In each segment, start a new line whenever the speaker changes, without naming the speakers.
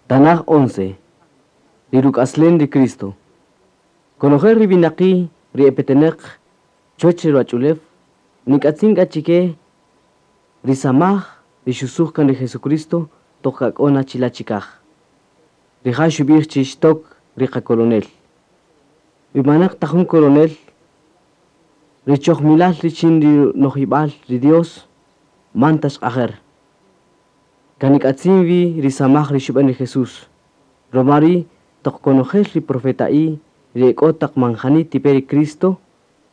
Tanaj 11. Ri ruk'aslen ri Cristo. Konojel ri winaqi' ri epeteneq chuwäch ri ruwach'ulew nik'atzin k'a chike ri samaj ri xusuj kan ri Jesucristo toq k'a k'o na chila' chikaj. Rija' xub'ij chi xtok ri qakolonel. Wi manaq ta jun kolonel, ri chojmilal richin ri nojib'al ri Dios man ta xq'ajer. Kan nik'atzin wi ri samaj ri xub'an ri Jesús. Ruma ri' toq konojel ri profeta'i ri e k'o taq manjani tipe ri Cristo,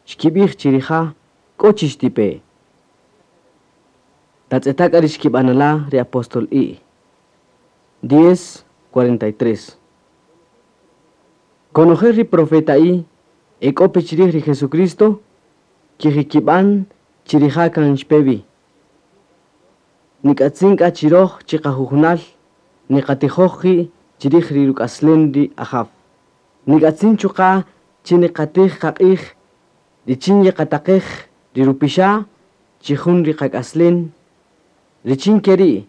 xkib'ij chi rija' k'o chi xtipe. Tatz'eta' k'a ri xkib'anala' ri apóstol I. 10:43. Konojel ri profeta'i e k'o pe chirij ri Jesucristo, kijikib'an chi rija' kan xpe wi. Nik'atzin k'a chiroj chiqajujunal niqatijoj qi' chirij ri ruk'aslen ri Ajaw. Nik'atzin chuqa' chi niqatij qaq'ij richin yeqataqej ri rupixa' chi jun ri qak'aslen, richin ke ri'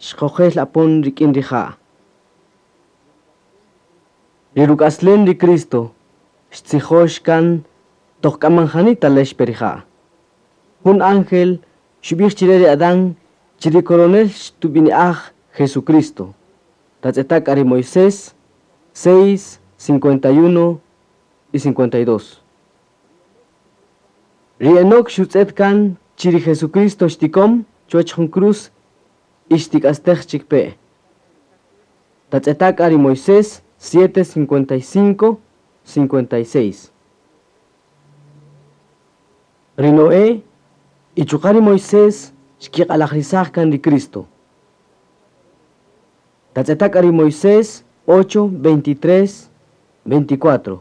xqojel apon rik'in rija'. Ri ruk'aslen ri Cristo xtzijox kan toq k'a manjani talex pe rija'. Jun ángel xub'ij chire ri Adán chi ri coronel xtub'ini'aj Jesucristo. Tatz'eta' k'a ri Moisés 6, 51 y 52. Ri Enoc xutz'et kan chi ri Jesucristo xtikom chuwäch jun cruz y xtik'astej chik pe. Tatz'eta' k'a ri Moisés 7, 55, 56. Ri Noé y chuqa' ri Moisés xkiq'alajrisaj kan ri Cristo. Tatz'eta' k'a ri Moisés 8, 23, 24.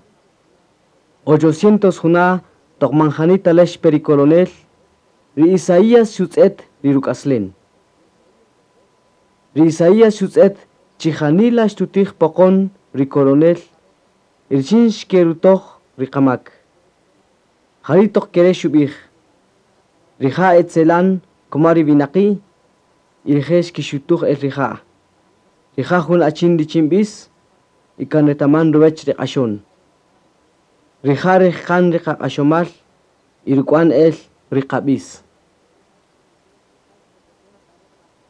800 juna' toq manjani talex pe ri coronel, ri Isaías xutz'et ri ruk'aslen. Ri Isaías xutz'et chi janila xtutij poqon ri coronel, richin xkerutoj ri qamak. Jari' toq kere' xub'ij, rija' etzelan kuma ri winaqi' y rije' xkixutuj el rija'. Rija' jun achin richin b'is y kan retaman ruwäch ri q'axon. Rija' rejqan ri qaq'axomal y ruk'wan el ri qab'is.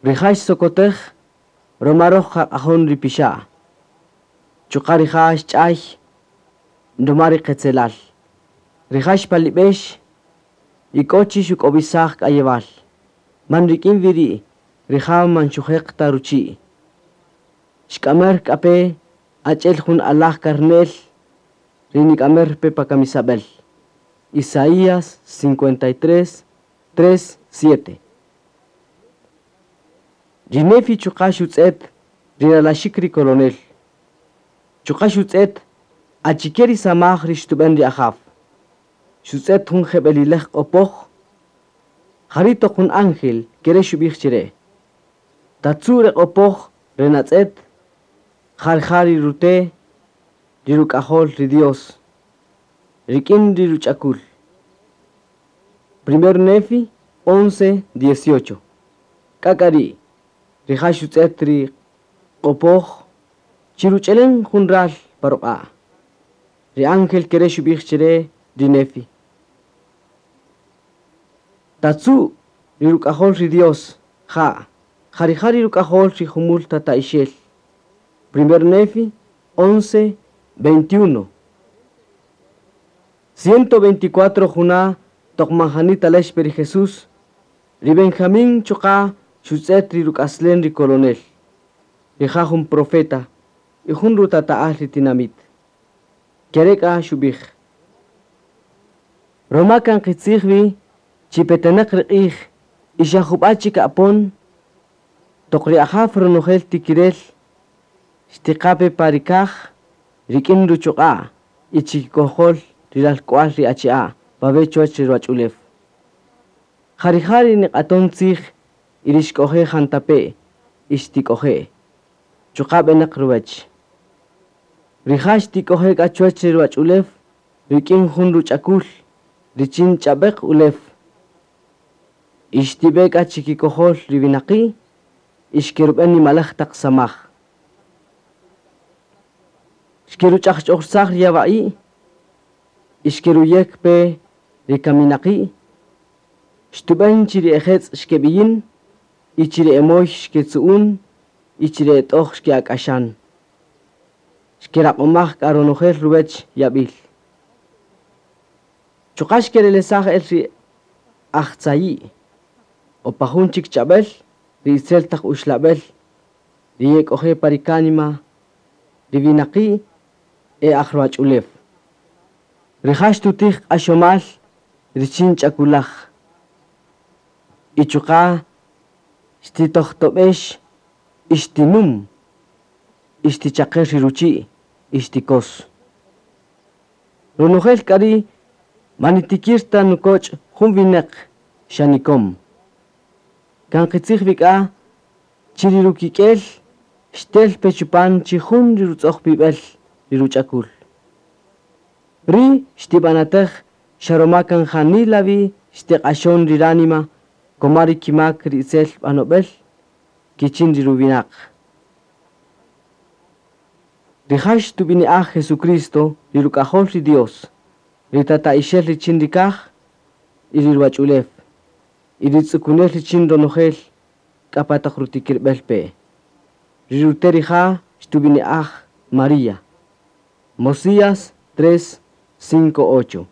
Rija' xsokotej ruma roj qaq'ajon ri pixa'. Chuqa' rija' xch'ay ruma ri qetzelal. Rija' xpalib'ex y k'o chi xuk'owisaj k'ayewal. Man rik'in wi ri' rija' man xujeq ta ruchi'. Xk'amer k'a pe achi'el jun alaj karne'l ri nik'amer pe pa kamisab'el. Isaías 53, 3, 7. Ri Nefi chuqa' xutz'et ri ralaxik ri coronel. Chuqa' xutz'et achike ri samaj ri xtub'en ri Ajaw. Xutz'et jun jeb'elilej q'opoj, jari' toq jun ángel kere' xub'ij chire. Tatzu' re q'opoj re natz'et, jarja' ri rute' ri ruk'ajol ri Dios, rik'in ri ruch'akul. Primer Nefi 11, 18. K'a k'a ri' rija' xutz'et ri q'opoj chi ruch'elen jun ral pa ruq'a'. Ri ángel kere' xub'ij chire ri Nefi. Tatzu' ri ruk'ajol ri Dios, ja', ja rija' ri ruk'ajol ri jumul tata'ixel. Primer Nefi 11, 21. 124 juna' toq manjani talex pe ri Jesús, ri Benjamín chuqa' xutz'et ri ruk'aslen ri coronel. Rija' jun profeta y jun rutata'al ri tinamit. Kere' k'a xub'ij. Ruma kan qitzij wi chi peteneq ri q'ij y xa jub'a' chik apon, toq ri Ajaw ronojel tikirel xtiqa pe pa ri kaj rik'in ruchuq'a' y chikikojol ri ralk'wal ri achi'a' pawe' chuwäch ri ruwach'ulew. Ja rija' ri niq'aton tzij y ri xk'oje' jantape' y xtik'oje'. Chuqa' b'enaq ruwäch. Rija' xtik'oje' k'a chuwäch ri ruwach'ulew rik'in jun ruch'akul richin ch'ab'eq ulew. Y xtib'e k'a chikikojol ri winaqi' y xkerub'en nimalaj taq samaj. Xkeruch'ajch'ojsaj ri yawa'i', y xkeruyek pe ri kaminaqi', xtub'än chi ri ejetz' xkeb'iyin, y chi ri emoy xketzu'un, y chi ri et'oj xke'ak'axan. Xkeraq'omaj k'a ronojel ruwech yab'il. Chuqa' xkerelesaj el ri ajtzayi', o pa jun chik ch'ab'äl, ri itzel taq uxlab'el, ri yek'oje' pa ri kánima, ri winaqi' e aj ruwach'ulew. Rija' xtutij q'axomal richin ch'akulaj. Y chuqa' xtitojtob'ex y xtinum, y xtichaqer ri ruchi' y xtikos. Ronojel k'a ri' man nitikir ta nukoch' jun winäq xa nikom. Kan qitzij wi k'a chi ri rukik'el xtel pe chupan chi jun ri rutz'ojpib'el ri ruch'akul. Ri xtib'anatäj xa roma kan janila wi xtiq'axon ri ránima koma ri kimak ri itzel b'anob'el kichin ri ruwinaq. Rija' xtub'ini'aj Jesucristo ri ruk'ajol ri Dios, ri tata'ixel richin ri kaj y ri ruwach'ulew, y ri tz'ukunel richin ronojel k'a pa taq rutikirb'el pe. Ri rute' rija' xtub'ini'aj María. Mosías 3, 5, 8.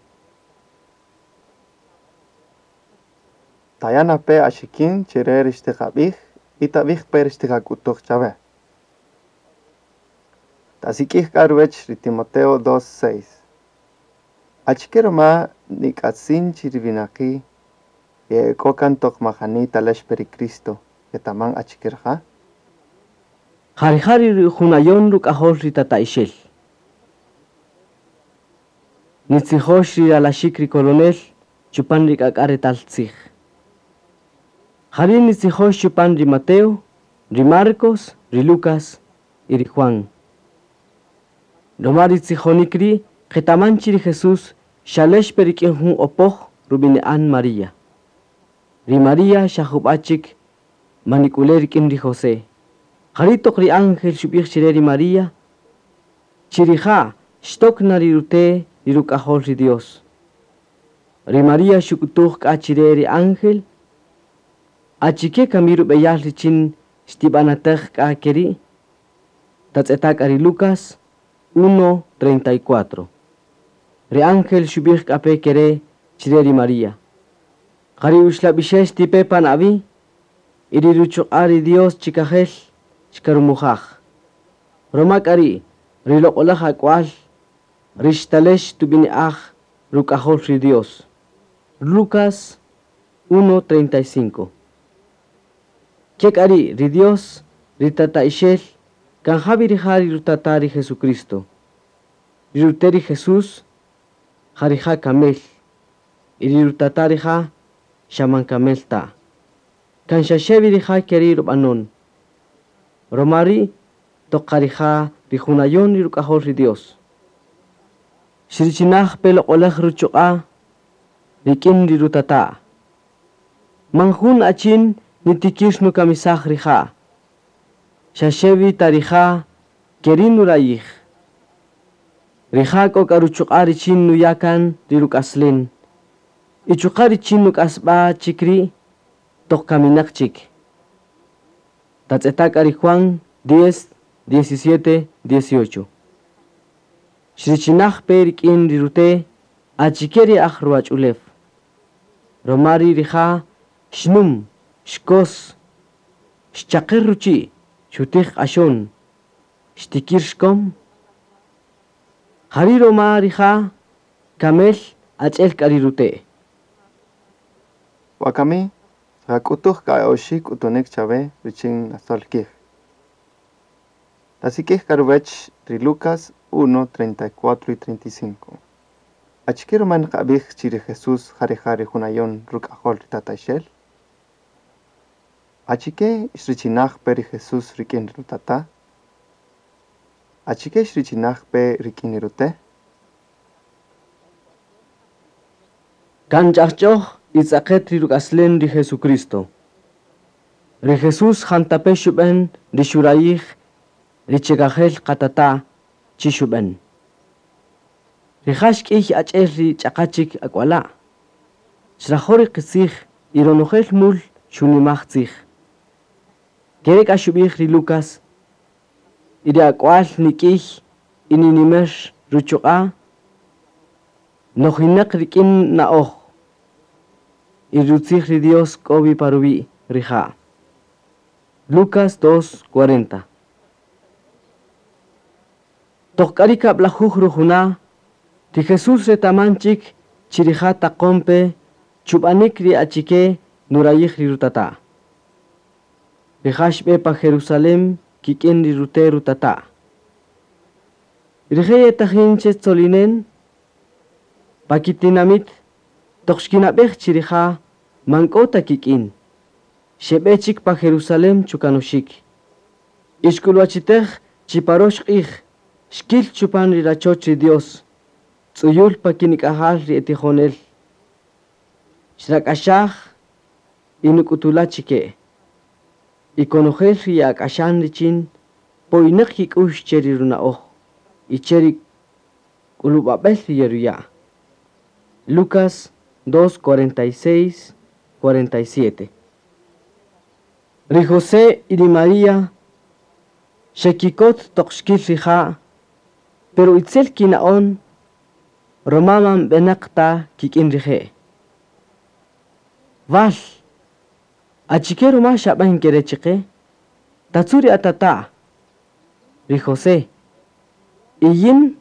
Taya' pe axikin chi re ri xtiqab'ij y tab'ij pe ri xtiqak'utuj chawe. Tasik'ij k'a ruwech ri Timoteo 2:6. Achike roma nik'atzin chi ri winaqi' ye'ek'o kan toq majani talex pe ri Cristo ketaman achike rija'?
Ja rija' ri junayon ruk'ajol ri tata'ixel. Nitzijox ri ralaxik ri coronel chupan ri k'ak'a retal tzij. Jari' nitzijox chupan ri Mateo, ri Marcos, ri Lucas y ri Juan. Roma ri tzijonik ri' qetaman chi ri Jesús xalex pe rik'in jun opoj rub'ini'an María. Ri María xa jub'a' chik manik'ule' rik'in ri José. Jari' toq ri ángel xub'ij chire ri María, chi rija' xtok na ri rute' ri ruk'ajol ri Dios. Ri María xuk'utuj k'a chire ri ángel, achike kami rub'eyal richin xtib'anatäj k'a keri'? Tatz'eta' k'a ri Lucas 1:34. Ri ángel xub'ij k'a pe kere chire ri María. Ja ri uxlab'ixel xtipe pan awi', y ri ruchuq'a' ri Dios chikajel xkarumujaj. Roma k'a ri' ri loq'olaj ak'wal ri xtalex tub'ini'aj ruk'ajol ri Dios. Lucas 1:35. Ke k'a ri' ri Dios ri tata'ixel kan jawi rija' ri rutata' ri Jesucristo. Ri rute' ri Jesús ja rija' kamel, y ri rutata' rija' xa man kamel ta. Kan xaxe wi rija' keri' rub'anon. Roma ri' toq qa rija' ri junayon ri ruk'ajol ri Dios. Xrichinaj pe loq'olaj ruchuq'a' rik'in ri rutata'. Man jun achin nitikir nukamisaj rija'. Xaxe wi ta rija' keri' nurayij. Rija' k'o k'a ruchuq'a' richin nuya' kan ri ruk'aslen. Y chuqa' richin nuk'asb'a chik ri' toq kaminaq chik. Tatz'eta' k'a ri Juan 10, 17, 18. Xrichinaj pe rik'in ri rute' achike ri aj ruwach'ulew. Roma ri rija' xnum, xkos, xchaqer ruchi', xutij q'axon, xtikir xkom. Jari' roma rija' kamel ach'el k'a ri rute'.
Wakami, xqak'utuj k'a oxi' k'utunik chawe richin nasol kij. Tasik'ij k'a ruwech ri Lucas 1, 34 y 35. Achike roma nqab'ij chi ri Jesús ja rija' ri junayon ruk'ajol ri tata'ixel? Achike xrichinaj pe ri Jesús rik'in ri rutata'? Achike xrichinaj pe rik'in ri rute'?
Kan ch'ajch'oj y tz'aqet ri ruk'aslen ri Jesucristo. Ri Jesús jantape xub'en ri xurayij ri chikajel qatata' chi xub'än. Rija' xk'iy ach'el ri ch'aqa chik ak'wala'. Xrajo' ri qitzij y ronojel mul xunimaj tzij. Kere' k'a xub'ij ri Lucas, y ri ak'wal nik'iy y ninimer ruchuq'a', nojinaq rik'in na'oj. Y rutzij ri Dios k'o wi pa ruwi' rija'. Lucas 2:40. Toq k'a ri kab'lajuj rujuna', ri Jesús retaman chik chi rija' taqon pe chub'anik ri achike nurayij ri rutata'. Rija' xb'e pa Jerusalén kik'in ri rute' rutata'. Rije' yetajin che tzolinen pa kitinamit toq xkinab'ej chi rija' man k'o ta kik'in. Xeb'e chik pa Jerusalén chukanoxik. Y xk'ulwachitej chi pa rox q'ij xkil chupan ri rachoch ri Dios, tz'uyul pa kinik'ajal ri etijonel. Xrak'axaj y nuk'utula chike. Y konojel ri ye'ak'axan richin poynaq kik'ux che ri runa'oj y che ri k'ulub'ab'el ri yeruya'. Lucas 2:46, 47. Ri José y ri María xekikot toq xkil rija', pero itzel kina'on roma man b'enaq ta kik'in rije'. Wal, achike roma xab'an kere chiqe? Tatzu' ri atata', ri José, y yin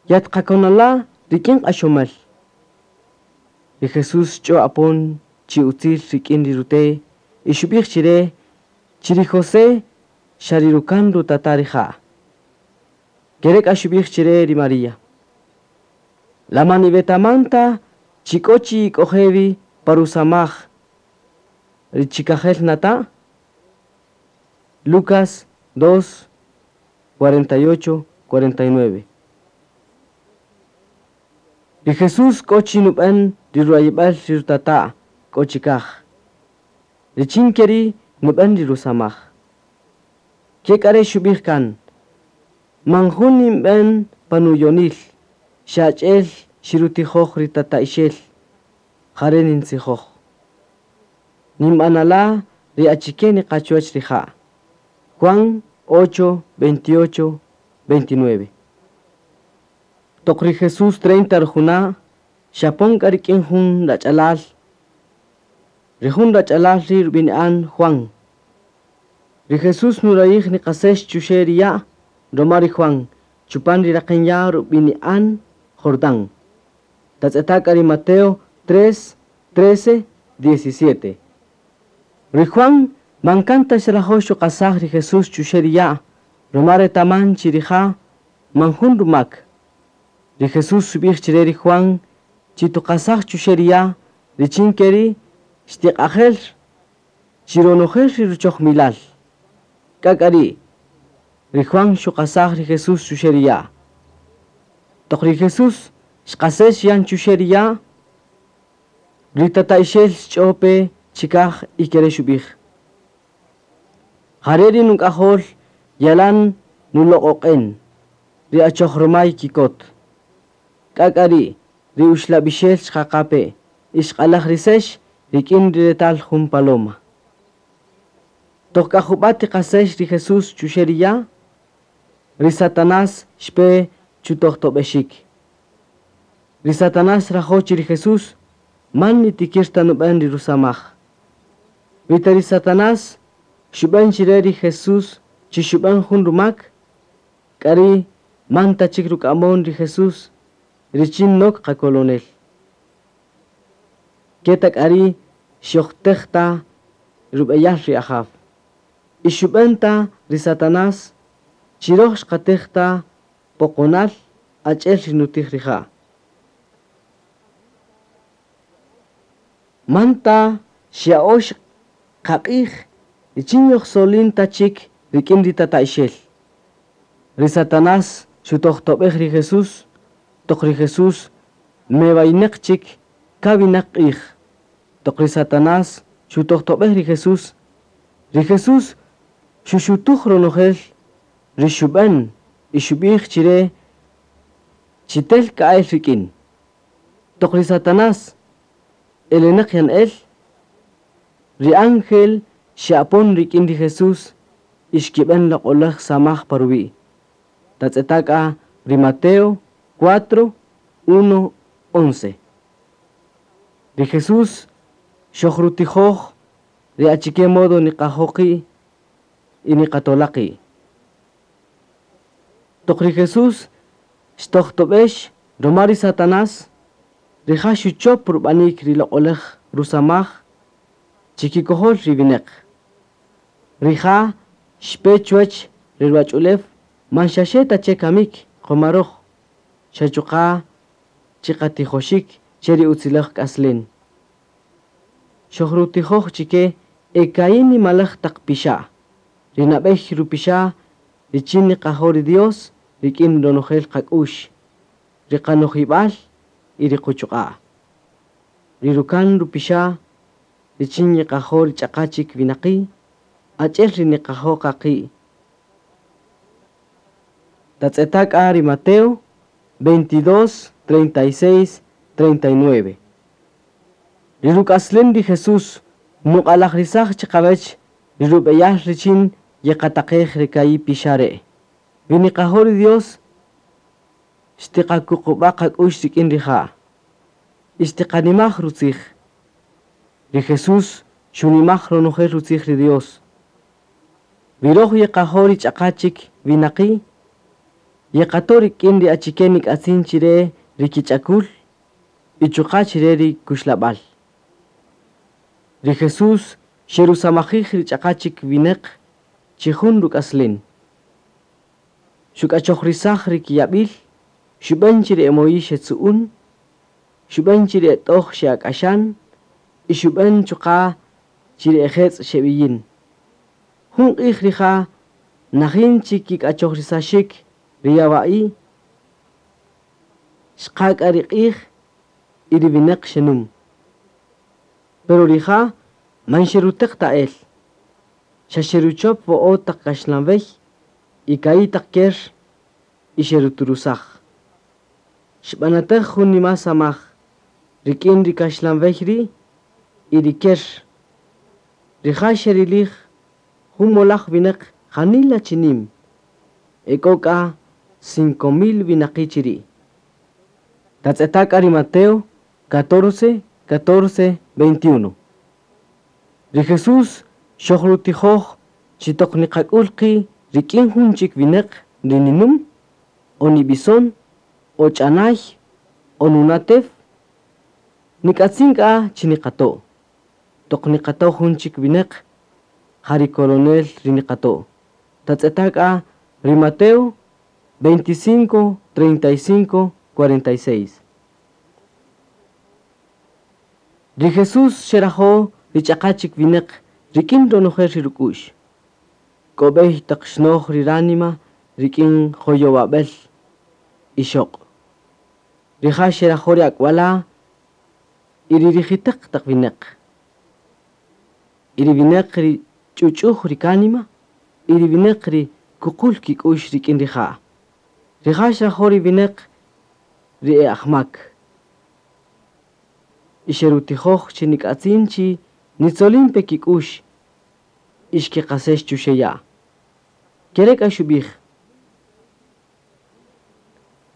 yatqakonala' rik'in q'axomal. Ri Jesús xch'o apon chi utzil rik'in ri rute' y xub'ij chire chi ri José xa ri rukan rutata' rija'. Kere k'a xub'ij chire ri María. La man iwetaman ta chi k'o chi ik'oje' wi pa rusamaj ri chikajel nata'? Lucas 2, 48, 49. Ri Jesús k'o chi nub'än ri rurayib'al ri rutata' k'o chikaj. Richin ke ri' nub'än ri rusamaj. Ke k'a re' xub'ij kan, man jun ninb'än pa nuyonil, xa ach'el xirutijoj ri tata'ixel, jare' nintzijoj. Ninb'anala' ri achike niqa chuwach rija'. Juan 8, 28, 29. Toq ri Jesús 30 rujuna', xapon k'a rik'in jun rach'alal. Ri jun rach'alal ri' rub'ini'an Juan. Ri Jesús nurayij niqasex chuxe' ri ya' roma ri Juan, chupan ri raqen ya' rub'ini'an Jordán. Tatz'eta' k'a ri Mateo 3, 13, 17. Ri Juan man kan ta xrajo' xuqasaj ri Jesús chuxe' ri ya' roma retaman chi rija' man jun rumak. Ri Jesús xub'ij chire ri Juan chi tuqasaj chuxe' ri ya' richin ke ri' xtiq'ajel chi ronojel ri ruchojmilal. K'a k'a ri' ri Juan xuqasaj ri Jesús chuxe' ri ya'. Toq ri Jesús xqasex yan chuxe' ri ya', ri tata'ixel xch'o pe chikaj y kere' xub'ij. Jare' ri nuk'ajol yalan nuloq'oq'en, ri achoj romay kikot. K'a k'a ri' ri uxlab'ixel xqaqa pe y xq'alajrisex rik'in ri retal jun paloma. Toq k'a jub'a' tiqasex ri Jesús chuxe' ri ya', ri Satanás xpe chutojtob'exik. Ri Satanás xrajo' chi ri Jesús man nitikir ta nub'än ri rusamaj. Wi ta ri Satanás xub'än chire ri Jesús chi xub'än jun rumak, k'a ri' man ta chik ruk'amon ri Jesús richin nok qakolonel. Ke ta k'a ri' xojtej ta rub'eyal ri Ajaw. Y xub'än ta ri Satanás chi roj xqatej ta poqonal ach'el ri nutij rija'. Man ta xya'ox qaq'ij richin yojsolin ta chik rik'in ri tata'ixel. Ri Satanás xutojtob'ej ri Jesús, toq ri Jesús mewaynaq chik kawinaq q'ij. Toq ri Satanás xutojtob'ej ri Jesús, ri Jesús xuxutuj ronojel ri xub'än Y xub'ij chire chi tel ka'el rik'in. Toq ri Satanás eleneq yan el, ri ángel xe'apon rik'in ri Jesús y xkib'en loq'olaj samaj pa ruwi'. Tatz'eta' ri Mateo 4, 1, 11. Ri Jesús xojrutijoj ri achike modo niqajoqi y niqatolaqi. Toq ri Jesús xtojtob'ex roma ri Satanás, rija' xuchop rub'anik ri loq'olaj rusamaj chikikojol ri wineq. Rija' xpe chuwach ri ruwach'ulew man xaxe ta che kamik qomaroj, xa chuqa' chiqatijoxik che ri utzilaj k'aslen. Xojrutijoj chike eka'i nimalaj taq pixa'. Ri nab'ey rupixa' richin niqajo' ri Dios rik'in ronojel qak'ux, ri qanojib'al y ri quchuq'a'. Ri rukan rupixa' richin niqajo' ri ch'aqa chik winaqi', ach'el ri niqajo' qaqi'. Tatz'eta' k'a ri Mateo 22, 36, 39. Ri ruk'aslen ri Jesús nuq'alajrisaj chiqawech ri rub'eyal richin yeqataqej ri ka'i pixa' re'. Wi niqajo' ri Dios xtiqakuqub'a' qak'ux rik'in rija'. Y xtiqanimaj rutzij. Ri Jesús xunimaj ronojel rutzij ri Dios. Wi roj yeqajo' ri ch'aqa chik winaqi', yeqato' rik'in ri achike nik'atzin chire ri kich'akul y chuqa' chire ri kuxlab'al. Ri Jesús xerusamajij ri ch'aqa chik wineq chi jun ruk'aslen. Xuk'achojrisaj ri kiyab'il, xub'an chi ri emoyi xetzu'un, xub'an chi ri et'oj xe'ak'axan y xub'an chuqa' chi ri ejetz' xeb'iyin. Jun q'ij rija' najin chi kik'achojrisaxik ri yawa'i, xqa k'a ri q'ij y ri wineq xenum. Pero rija' man xeruteq ta el, xa xeruchop wo'o taq kaxlanwey y ka'i taq ker y xeruturusaj. Xb'anataj jun nima samaj rik'in ri kaxlanwey ri' y ri ker. Rija' xerilij jun molaj wineq janila chinim, e k'o k'a 5000 winaqi' chiri'. Tatz'eta' k'a ri Mateo 14, 14, 21. Ri Jesús xojrutijoj chi toq niqak'ul qi' rik'in jun chik wineq ri ninum, o nib'ison, o ch'anay, o nunatef, nik'atzin k'a chi niqato'. Toq niqato' jun chik wineq, ja ri coronel ri niqato'. Tatz'eta' k'a ri Mateo 25, 35, 46. Ri Jesús xerajo' ri ch'aqa chik wineq rik'in ronojel ri ruk'u'x. K'o b'ey taq xnoj ri ránima rik'in joyowab'el y xoq'. Rija' xerajo' ri ak'wala' y ri rijitaq taq wineq. Y ri wineq ri ch'uch'uj ri kánima y ri wineq ri kuqul kik'ux rik'in rija'. Rija' xrajo' ri wineq ri e ajmak. Y xerutijoj chi nik'atzin chi nitzolin pe kik'ux y xkiqasex chuxeya'. Kere k'a xub'ij.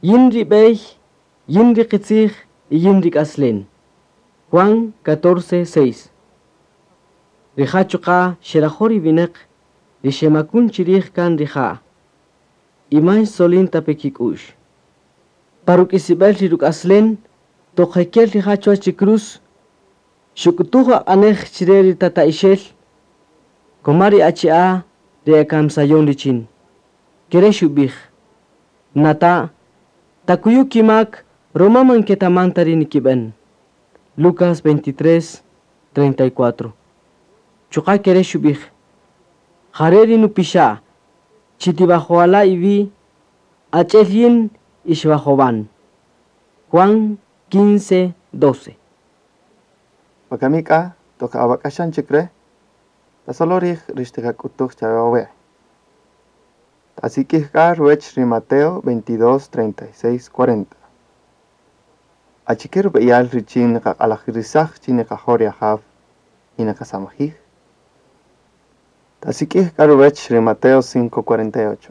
Yin ri b'ey, yin ri qitzij y yin ri k'aslen. Juan 14, 6. Rija' chuqa' xerajo' ri wineq ri xemakun chirij kan rija'. Y man xtzolin ta pe kik'ux. Pa ruk'isib'el ri ruk'aslen, toq jekel rija' chuwach ri cruz, xuk'utuj aq'anej chire ri tata'ixel, koma ri achi'a ri ekamsayon richin. Kere xub'ij, Nata', takuyu kimak roma man ketaman ta ri nikib'en. Lucas 23, 34. Chuqa' kere xub'ij, Jare ri nupixa', chi tibajoala iwi', ach'el yin ixwajowan. Juan 15, 12.
Wakami k'a toq awak'axan chik re', tasolo rij ri xtiqak'utuj chawe wawe'. Tasik'ij k'a ruwäch ri Mateo 22, 36, 40. Achike rub'eyal richin niqaq'alajirisaj chi niqajo' ri Ajaw y niqasamajij? Tasik'ij k'a ruwäch ri Mateo 5, 48.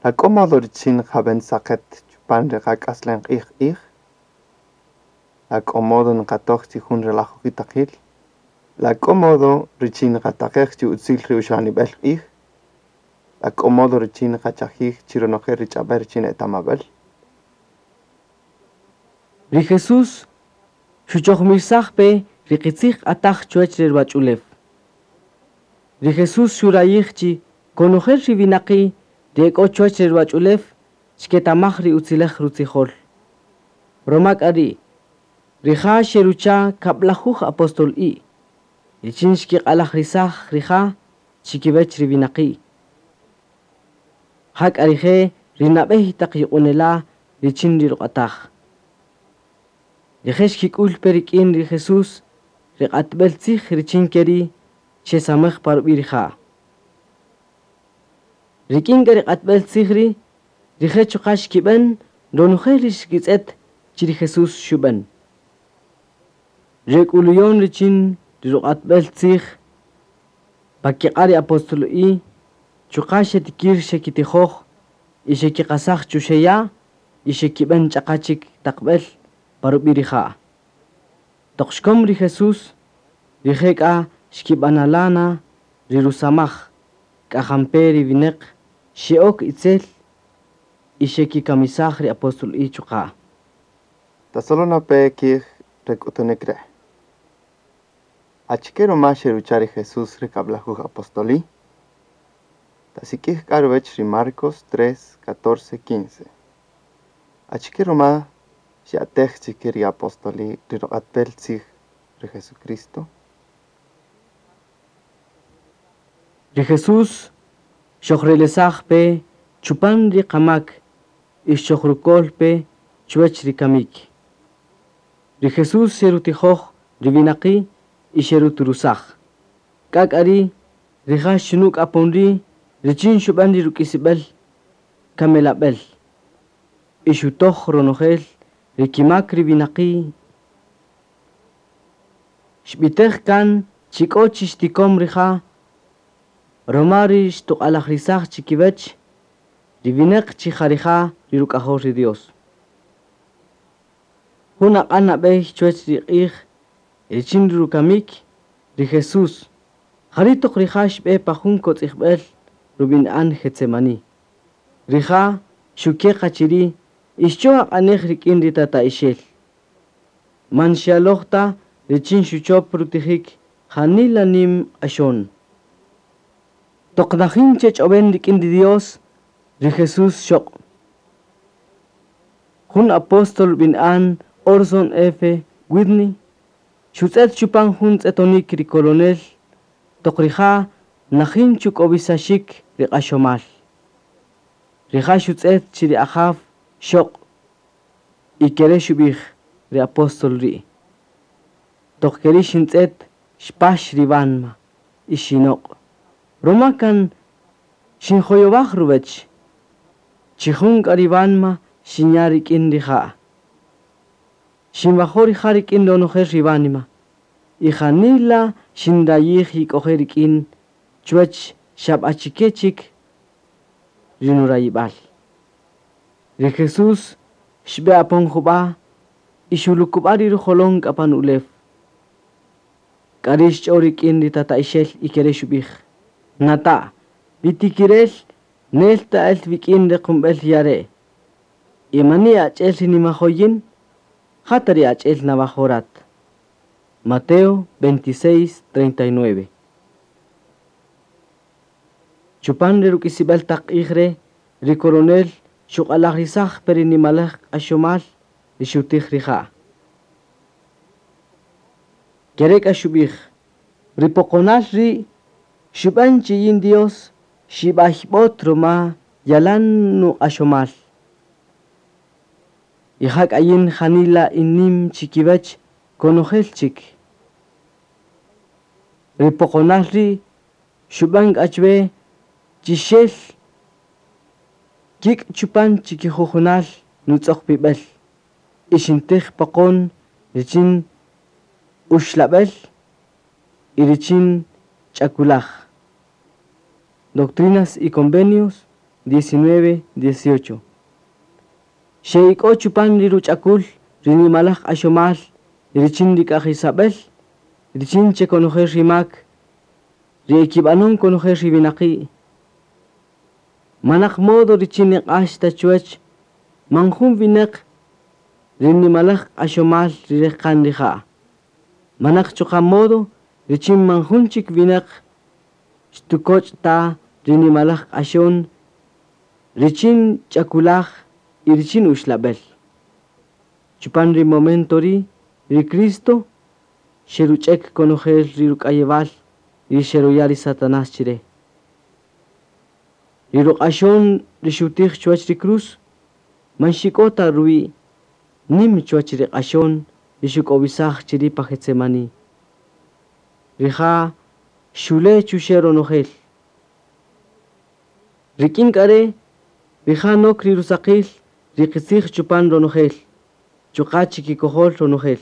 La k'o modo richin nqab'än saqet chupan ri qak'aslem q'ij q'ij? La k'o modo nqatoj chi jun ri lajujitaqil? La k'o modo richin nqataqej chi utzil ri uxlanib'el q'ij? La k'o modo richin nqachajij chi ronojel ri ch'ab'äl richin etamab'äl?
Ri Jesús xuchojmirsaj pe ri qitzij q'ataj chuwäch re ruwach'ulew. Ri Jesús xurayij chi konojel ri winaqi' ri e k'o chuwäch re ruwach'ulew xketamaj ri utzilej rutzijol. Ruma k'a ri' rija' xerucha' kab'lajuj apostol'i' richin xkiq'alajrisaj rija' chikiwäch ri winaqi'. Ja k'a rije' ri nab'ey taq yuq'unela' richin ri ruq'ataj. Rije' xkik'ül pe rik'in ri Jesús ri q'atb'el tzij richin ke ri' xesamaj pa rub'i' rija'. Rik'in k'a ri q'atb'el tzij ri' rije' chuqa' xkib'än ronojel ri xkitz'et chi ri Jesús xub'än. Ri k'uluyon richin ri ruq'atb'el tzij pa kiq'a' ri apostol'i' chuqa' xetikir xekitijoj y xekiqasaj chuxe' ya' y xekib'än ch'aqa chik taqb'el pa rub'i' rija'. Toq xkom ri Jesús, rije' k'a xkib'anala' na ri rusamaj k'a jampe ri winäq xe'ok itzel y xekikamisaj ri apostol'i' chuqa'.
Tasolona pe kij re k'utunik re'. Achike ruma xerucha' ri Jesús ri kab'lajuj apostoli'? Tasik'ij k'a ruwäch ri Marcos 3, 14, 15. Achike ruma xya'tej chi ke ri apostoli' ri ruq'atb'el tzij ri Jesucristo?
Ri Jesús xojrelesaj pe chupan ri qamak y xojrukol pe chuwäch ri kamik. Ri Jesús xerutijoj ri winaqi' y xeruturusaj. K'a k'a ri' rija' xunuk' apon ri' richin xub'än ri ruk'isib'el kamelab'el y xutoj ronojel ri kimak ri winaqi'. Xb'itej kan chi k'o chi xtikom rija' ruma ri xtuq'alajrisaj chikiwäch ri winäq chi ja rija' ri ruk'ajol ri Dios. Jun aq'an nab'ey chuwäch ri q'ij richin ri rukamik ri Jesús jari' toq rija' xb'e pa jun kotz'ijb'el rub'ini'an Getsemaní. Rija' xuke' qa chiri' y xch'o aq'anej rik'in ri tata'ixel. Man xyaloj ta richin xuchop rutijik janila nim q'axon. Toq najin chech'ob'en rik'in ri Dios, ri Jesús xoq'. Jun apóstol rub'ini'an Orson F. Whitney xutz'et chupan jun tz'etonik ri coronel toq rija' najin chuk'owisaxik ri q'axomal. Rija' xutz'et chi ri Ajaw xoq' y kere' xub'ij ri apóstol ri'. Toq keri' xintz'et xpax ri wanma y xinoq'. Ruma kan xinjoyowaj ruwäch. Chi jun k'a ri wanma xinya' rik'in rija'. Xinwajo' rija' rik'in ronojel ri wanima y janila xinrayij yik'oje' rik'in chuwäch xab'achike chik ri nurayib'al. Ri Jesús xb'e apon jub'a' y xulukub'a' ri rujolon k'a pan ulew. K'a ri' xch'o rik'in ri tata'ixel y kere' xub'ij: Nata', ri tikirel nel ta el wik'in re qumb'el ya' re'. Y mani ach'el ri nimajoyin, jata ri ach'el nawajorat. Mateo 26, 39. Chupan ri ruk'isib'el taq q'ij re' ri coronel xuq'alajrisaj pe ri nimalej q'axomal ri xutij rija'. Kere' k'a xub'ij: Ri poqonal ri' xub'än chi yin Dios xib'ayb'ot ruma yalan nuq'axomal. Y ja k'a yin janila innim chikiwäch konojel chik. Ri poqonal ri' xub'än k'a chwe chi xel Kik' chupan chikijujunal nutz'oqpib'el y xintij poqon richin uxlab'el y richin ch'akulaj. Doctrinas y Convenios 19, 18. Xe'ik'o chupan ri ruch'akul ri nimalaj q'axomal richin ri k'aj Isabel richin che konojel rimak ri ekib'anun konojel ri winaqi'. Manaq modo richin niq'ax ta chuwach man jun winaq ri nimalaj q'axomal ri rejqan rija'. Manaq chuqa' modo richin man jun chik winaq xtukoch' ta ri nimalaj q'axon richin ch'akulaj y richin uxlab'el. Chupan ri momento ri' ri Cristo xeruch'ek konojel ri ruk'ayewal ri xeruya' ri Satanás chire. Ri ruq'axon ri xutij chuwach ri cruz man xik'o ta ruwi' nim chuwach ri q'axon ri xuk'owisaj chiri' pa Getsemani. Rija' xule chuxe' ronojel. Rik'in k'a re' rija' nok ri rusaqil ri qitzij chupan ronojel, chuqa' chikikojol ronojel.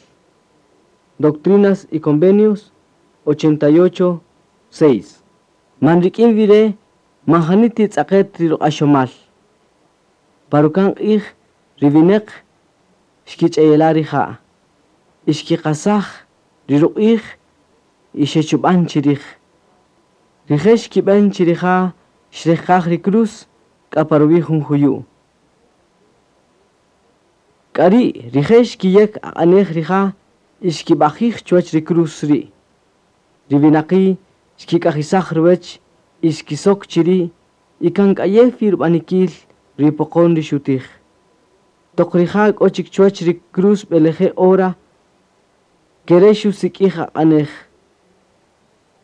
Doctrinas y Convenios 88, 6. Man rik'in wi re' man jani titz'aqet ri ruq'axomal. Pa ruka'n q'ij ri winaq xkich'eyela' rija' y xkiqasaj ri ruq'ij y xechub'an chirij. Rije' xkib'an chi rija' xrejqaj ri cruz k'a pa ruwi' jun juyu'. K'a ri' rije' xkiyek aq'anej rija' y xkib'ajij chuwach ri cruz ri'. Ri winaqi' xkik'ajisaj ruwach y xkisok chiri' y kan k'ayew rub'anikil ri poqon ri xutij. Toq rija' k'o chik chuwach ri cruz b'eleje' hora kere' xusik'ij aq'anej.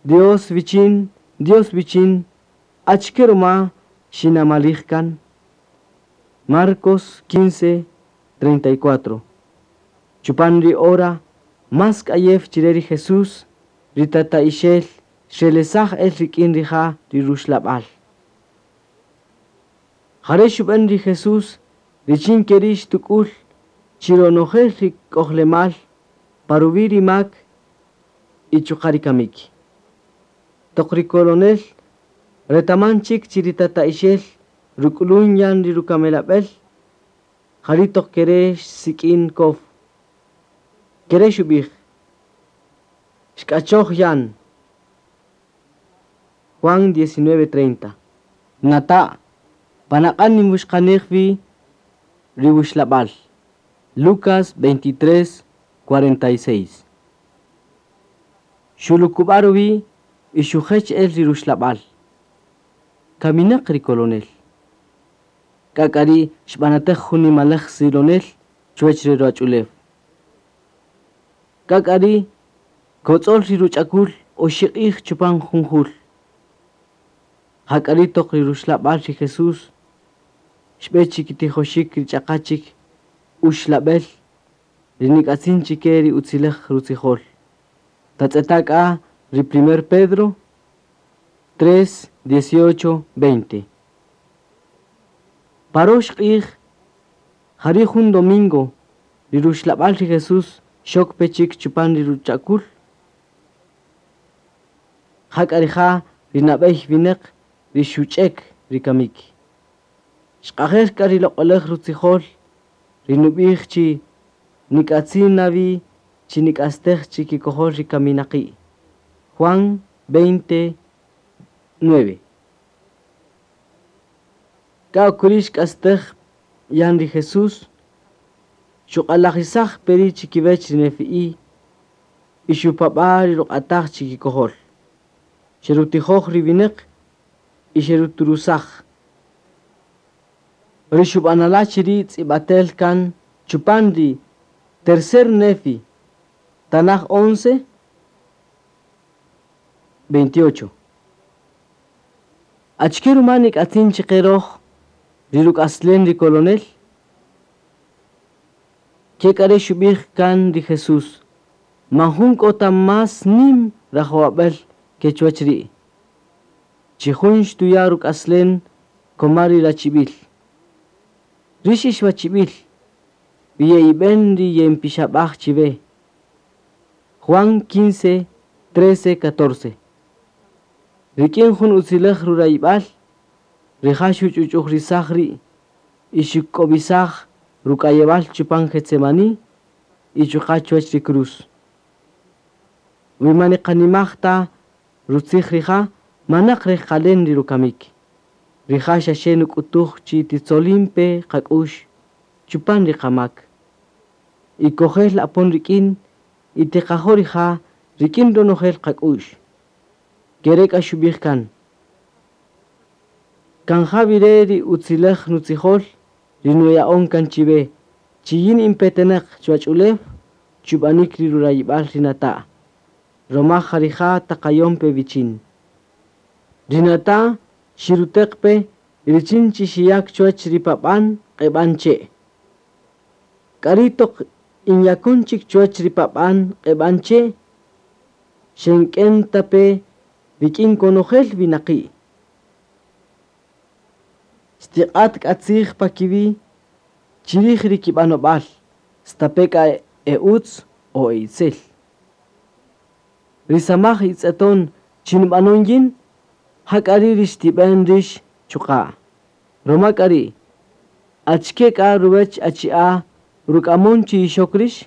Dios wichin, Dios wichin, achike ruma xinamalij kan. Marcos 15, 34. Chupan ri hora más k'ayew chire ri Jesús ri tata'ixel xrelesaj el rik'in rija' ri ruxlab'al. Jare' xub'an ri Jesús richin keri' xtuk'ul chi ronojel ri k'ojlemal pa ruwi' ri mak y chuqa' ri kamik. Toq ri coronel retaman chik chi ri tata'ixel ruk'ulun yan ri rukamelab'el jari' toq kere' xsik'in kow. Kere' xub'ij xk'achoj yan. Juan 19:30. Nata' panaq'an ninwuxqanej wi ri wuxlab'al. Lucas 23:46. Xulukub'a ruwi' y xujech el ri ruxlab'al. Kaminaq ri coronel. K'a k'a ri' xb'anatej jun nimalaj silonel chuwach ri ruwach'ulew. K'a k'a ri' kotz'ol ri ruch'akul oxi' q'ij chupan jun jul. Jak'a ri' toq ri ruxlab'al ri Jesús xb'e chikitijoxik ri ch'aqa chik uxlab'el ri nik'atzin chike ri utzilej rutzijol. Tatz'eta' k'a ri primer Pedro 3, 18, 20. Parox q'ij jari' jun domingo ri ruxlab'al ri Jesús xok pe chik chupan ri ruch'akul. Jak'a rija' ri nab'ey winaq ri xuch'ek ri kamik. Xq'ajel k'a ri loq'olaj rutzijol ri nub'ij chi nik'atzin nawi chi nik'astej chikikojol ri kaminaqi'. Juan 20, 9. K'a okuri' xk'astej yan ri Jesús xuq'alajisaj peri chikiwech ri nefi'i y xupab'a' ri ruq'ataj chikikojol. Xerutijoj ri winaq y xeruturusaj. Ri xub'anala' chiri' tz'ib'atel kan chupan ri tercer Nefi, Tanaj 11, 28. Achike ruma nik'atzin chiqe roj ri ruk'aslen ri coronel? Ke k'a re' xub'ij kan ri Jesús man jun k'o ta más nim rajowab'el ke chuwach ri'. Chi jun xtuya' ruk'aslen koma ri rachib'il. Rix ixwachib'il, wi ye'ib'en ri ye'inpixab'aj chiwe. Juan 15, 13, 14. Rik'in jun utzilej rurayib'al, rija' xuch'uch'ujrisaj ri' y xuk'ob'isaj ruk'ayewal chupan Getsemaní y chuqa' chuwach ri cruz. Wi man niqanimaj ta rutzij rija', manaq rejqalen ri rukamik. Rija' xaxe nuk'utuj chi titzolin pe qak'ux chupan ri qamak. Y kojel apon rik'in y tiqajo' rija' rik'in ronojel qak'ux. Kere k'a xub'ij kan. Kan ja ri utzilej nutzijol ri nuya'on kan chiwe, chi yin inpetenaq chuwach ulew chub'anik ri rurayib'al ri nata'. Roma ja rija' taqayon pe wichin. Ri nata' xiruteq pe richin chi xiyak chuwach ri pab'an q'eb'an che'. K'ari' toq inyakon chik chuwach ri pab'an q'eb'an che', xenk'en ta pe rik'in konojel winaqi'. Xtiq'at k'a tzij pa kiwi' chirij ri kib'anob'al, stape' k'a e utz o e itzel. Ri samaj itz'eton chi nub'anon yin, ja k'a ri' ri xtib'en rix chuqa'. Roma k'a ri', achike k'a ruwech achi'a ruk'amon chi ixok rix?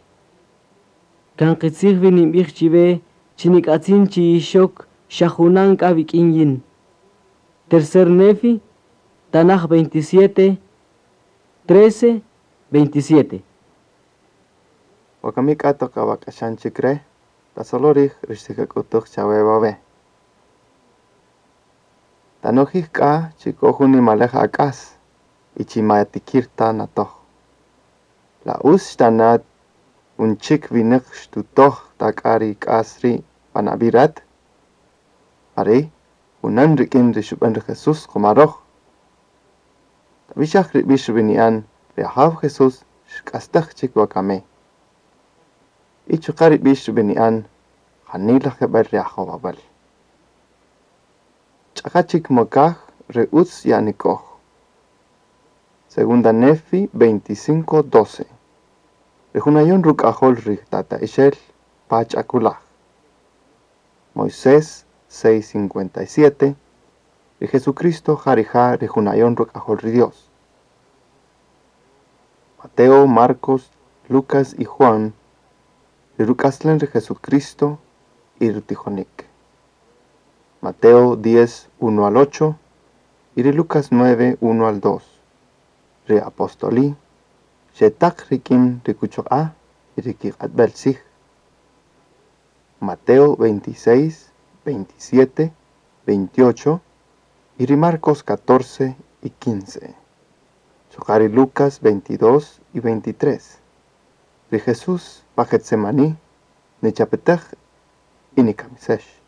Kan qitzij wi ninb'ij chiwe chi nik'atzin chi ixok xa junan k'a wik'in yin. Tercer Nefi, Tanaj 27, 13, 27.
Wakami k'a toq awak'axan chik re', tasolo rij ri xtikak'utuj chawe wawe'. Tanojij k'a chi k'o jun nimalej ak'as y chi ma yatikir ta natoj. La utz xtana' jun chik winäq xtutoj ta k'a ri k'as ri' pan ab'i' rat? Jari' junan rik'in ri xub'än ri Jesús qoma röj. Tab'ixaj ri b'ix rub'ini'an ri Ajaw Jesús xk'astäj chik wakami. Y chuqa' ri b'ix rub'ini'an janila jeb'ël ri ajowab'äl. Ch'aqa chik mokaj re utz yanik'oj. Segunda Nefi 25:12. Ri junayon ruk'ajol ri tata'ixel pa ch'akulaj. Moisés 6:57. Ri Jesucristo ja rija' ri junayon ruk'ajol ri Dios. Mateo, Marcos, Lucas y Juan, ri ruk'aslen ri Jesucristo y rutijonik. Mateo 10, 1 al 8 y ri Lucas 9, 1 al 2. Ri apostoli, xetaq rik'in ri kuchoq'a y ri kiq'atb'el tzij. Mateo 26, 27, 28 y ri Marcos 14 y 15. Chuqa' ri Lucas 22 y 23. Ri Jesús pa Getsemaní nichapetej y nikamisex.